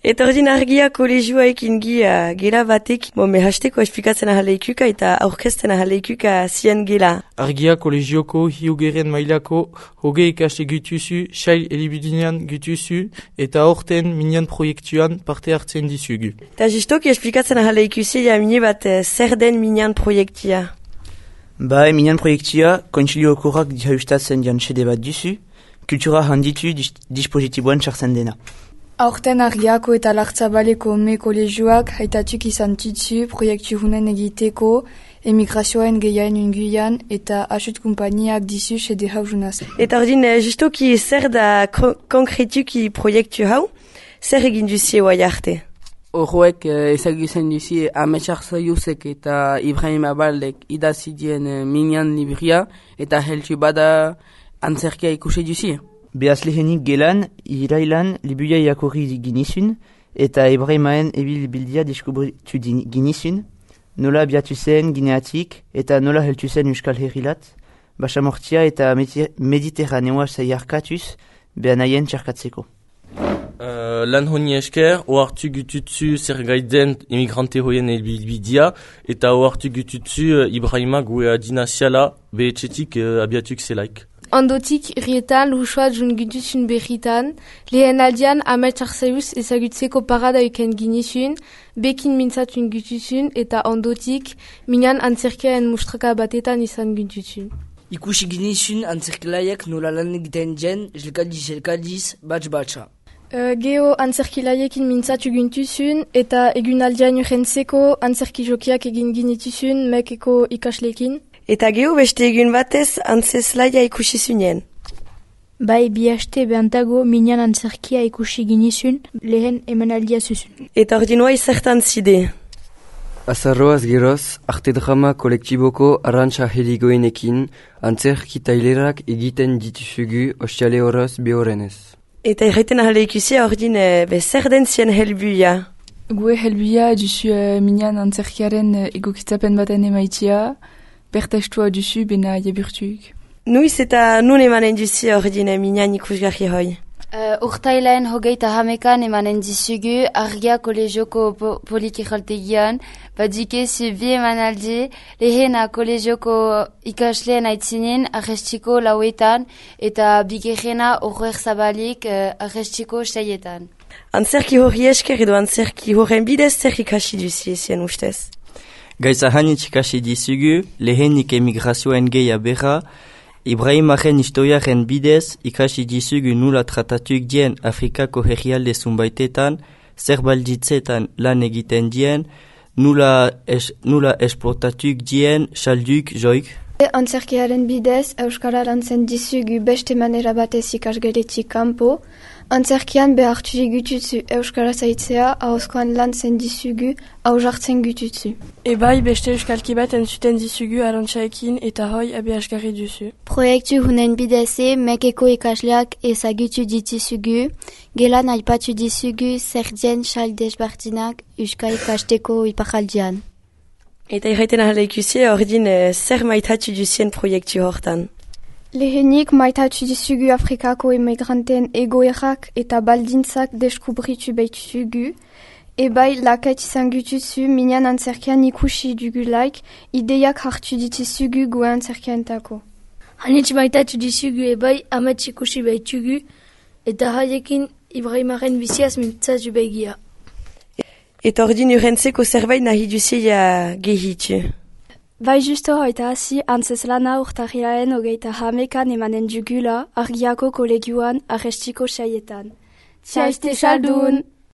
Eta ordin argia kolegioaekin gela batek, me hasteko esplikatzen ahaleikuka eta aurkezten ahaleikuka zien gela. Argia kolegioko hiugeren mailako hoge ikaste gutuzu, sail elibudinean gutuzu, eta horten minian proiektuan parte hartzen dizugu. Eta justoki esplikatzen ahaleikuzi mine bat zer den minian proiektia. Minian proiektia kontsiliokorak dihaustatzen jantsede bat duzu, kultura handitu dispositiboan txartzen dena. Aurten argiako eta lartzabaleko me kolegioak haitatuk izan tutsu proiektu hunen egiteko, emigrazioen gehiain unguian eta asut kumpaniak dizu sede hau junaz. Eta ordin, justoki zer da konkretuki proiektu hau, zer egin duzie oai arte? Horroek ezagutzen duzie Ametsak Zaiuzek eta Ibrahim Abaldek idazidien minian libria eta heltu bada antzerkia ikusi duzie. Behaz lehenik gelan, irailan libuia iakorri ginizun eta Ibrahimaen ebilbildia deskubritu ginizun, nola abiatu zen Gineatik eta nola heltu zen Euskal Herrilat, basamortia eta mediterraneoa zaiarkatuz behan haien txarkatzeko. Lan honi esker, oartu gututzu zer gaiden emigrante hoien ebilbidia eta oartu gututzu Ibrahima gue adinaziala behetxetik abiatuk zelaik. Ondotik, rietan luxuat jun gutuzun berritan, lehen aldian Ametsak Zaiuz ezagutzeko parada euken ginizun, bekin mintzatun gutuzun eta ondotik, minan antzerkiaen mustraka batetan izan gutuzun. Ikusi ginizun antzerkilaiek nola lan egiten jen, jelkaldiz, batz-batza. Geo antzerkilaiekin mintzatu gintuzun eta egun aldian urrentzeko antzerki jokiak egin ginituzun mekeko ikaslekin. Eta gehu beste egun batez antzeslaia ikusi zunien. Bai, bi haste behantago minan antzerkia ikusi ginizun lehen emanaldia zuzun. Eta ordinoa izertan zide. Azarroaz geroz, arte drama kolektiboko arrantza heligoenekin antzerki tailerak egiten dituzugu ostiale horoz behorenez. Eta erraiten ahale ikusia ordin zer den zien helbuia. Gue helbuia duzu minan antzerkiaren egokitzapen baten emaitia, bertestua duzu bena jaburtuk. Nuiz eta nun emanen duzu ordin minan ikusgarri hoi? Urtailaen hogeita hamekan emanen dizugu argia kolegioko politikholtegian, badikezu bi emanaldi lehena kolegioko ikasleen aitzinin arrestiko lauetan eta bigerrena horrer zabalik arrestiko seietan. Antzerki horri esker edo antzerki horren bidez zer ikasi duzi ezien ustez? Gaiza hanitz ikasi dizugu, lehenik emigrazioen geia berra, Ibrahimaren historiaren bidez ikasi dizugu nula tratatuk dien Afrikako herrialde zunbaitetan, zer balditzetan lan egiten dien, nula esplotatuk dien salduk joik. Antzerkiaren bidez Euskara lantzen dizugu beste manera batez ikasgeletik kanpo, antzerkian behartu gututzu Euskara zaitzea ahozkoan lantzen dizugu hau jartzen gututzu. Ebai beste euskalki bat entzuten dizugu arantxaekin eta hoi abiasgarri duzu. Proiektu hunen bideze mekeko ikasleak ezagutu dituzugu, gelan aipatu dizugu zer dien sal desbartinak Euskal ikasteko iparaldian. Eta irraiten ahale ikusi ordin zer maitatu duzien proiektu hortan? Lehenik maitatu dizugu Afrikako emigranteen egoerak eta baldintzak deskubritu baituzugu, ebai laket izan gutuzu minan antzerkian ikusi dugulaik ideiak hartu dituzugu gue antzerkiaentako. Hanitz maitatu dizugu ebai amets ikusi baitugu eta haiekin Ibrahimaren biziaz mintzatu begia. Eta ordin urrentzeko zerbait nahi duzia gehitu? Bai justo hoita hasi antzeslana urtarrilaen hogeita hamekan emanen dugula argiako kolegioan arrestiko saietan. Txaiste saldun!